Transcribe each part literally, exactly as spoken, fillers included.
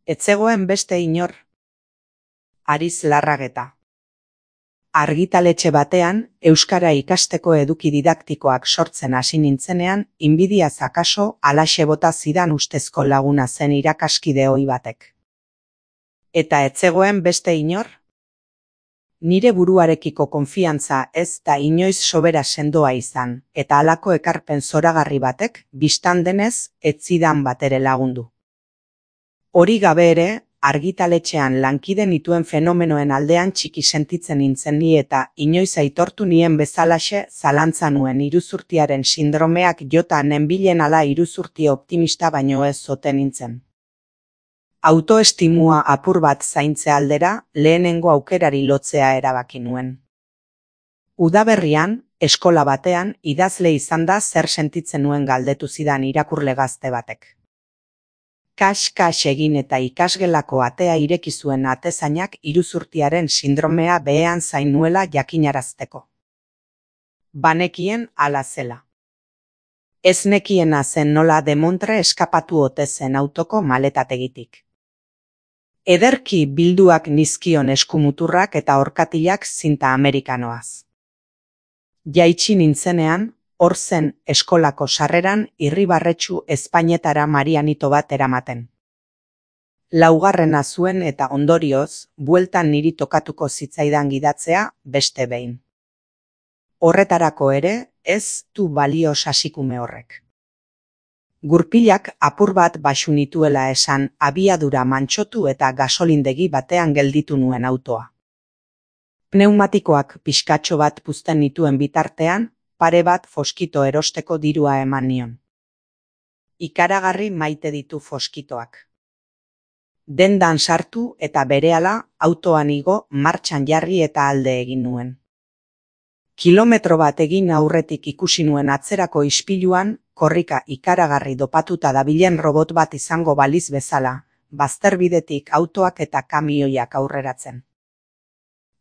Ez zegoen beste inor. Ariz Larrageta. Argitaletxe batean, euskara ikasteko eduki didaktikoak sortzen hasi nintzenean, inbidiaz akaso halaxe bota zidan ustezko laguna zen irakaskide ohi batek. Eta ez zegoen beste inor? Nire buruarekiko konfiantza ez da inoiz sobera sendoa izan, eta halako ekarpen zoragarri batek, bistan denez, ez zidan batere lagundu. Hori gabe ere, argitaletxean lankide nituen fenomenoen aldean txiki sentitzen nintzen ni eta inoiz aitortu nien bezalaxe zalantza nuen iruzurtiaren sindromeak jota nenbilen ala iruzurti optimista baino ez zote nintzen. Autoestimua apur bat zaintze aldera, lehenengo aukerari lotzea erabaki nuen. Udaberrian, eskola batean, idazle izan da zer sentitzen nuen galdetu zidan irakurle gazte batek. Kas-kas egin eta ikasgelako atea ireki zuen atezainak iruzurtiaren sindromea behean zain nuela jakinarazteko. Banekien hala zela. Ez nekiena zen nola demontre eskapatu ote zen autoko maletategitik. Ederki bilduak nizkion eskumuturrak eta orkatilak zinta amerikanoaz. Jaitsi nintzenean, hor zen eskolako sarreran irribarretsu ezpainetara marianito bat eramaten. Laugarrena zuen eta ondorioz, bueltan niri tokatuko zitzaidan gidatzea beste behin. Horretarako ere, ez du balio sasikume horrek. Gurpilak apur bat baxu nituela esan abiadura mantsotu eta gasolindegi batean gelditu nuen autoa. Pneumatikoak pixkatxo bat puzten nituen bitartean, pare bat foskito erosteko dirua eman nion. Ikaragarri maite ditu foskitoak. Dendan sartu eta berehala autoan igo martxan jarri eta alde egin nuen. Kilometro bat egin aurretik ikusi nuen atzerako ispiluan, korrika ikaragarri dopatuta dabilen robot bat izango baliz bezala, bazterbidetik autoak eta kamioiak aurreratzen.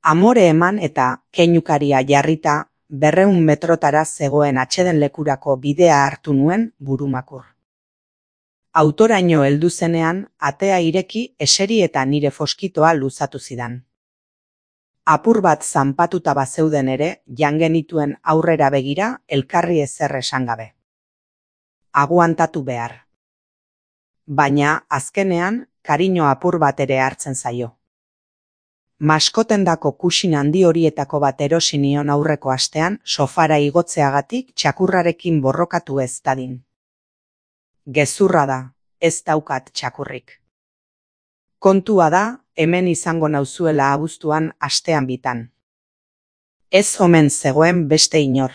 Amore eman eta keinukaria jarrita, berreun metrotara zegoen atseden lekurako bidea hartu nuen burumakur. Autoraino heldu zenean, atea ireki eseri eta nire foskitoa luzatu zidan. Apur bat zanpatuta bazeuden ere, jan genituen aurrera begira, elkarri ezer esan gabe. Aguantatu behar. Baina, azkenean, kariño apur bat ere hartzen zaio. Maskotendako kusin handi horietako bat erosi nion aurreko astean, sofara igotzeagatik txakurrarekin borrokatu ez dadin. Gezurra da, ez daukat txakurrik. Kontua da, hemen izango nauzuela abuztuan astean bitan. Ez omen zegoen beste inor.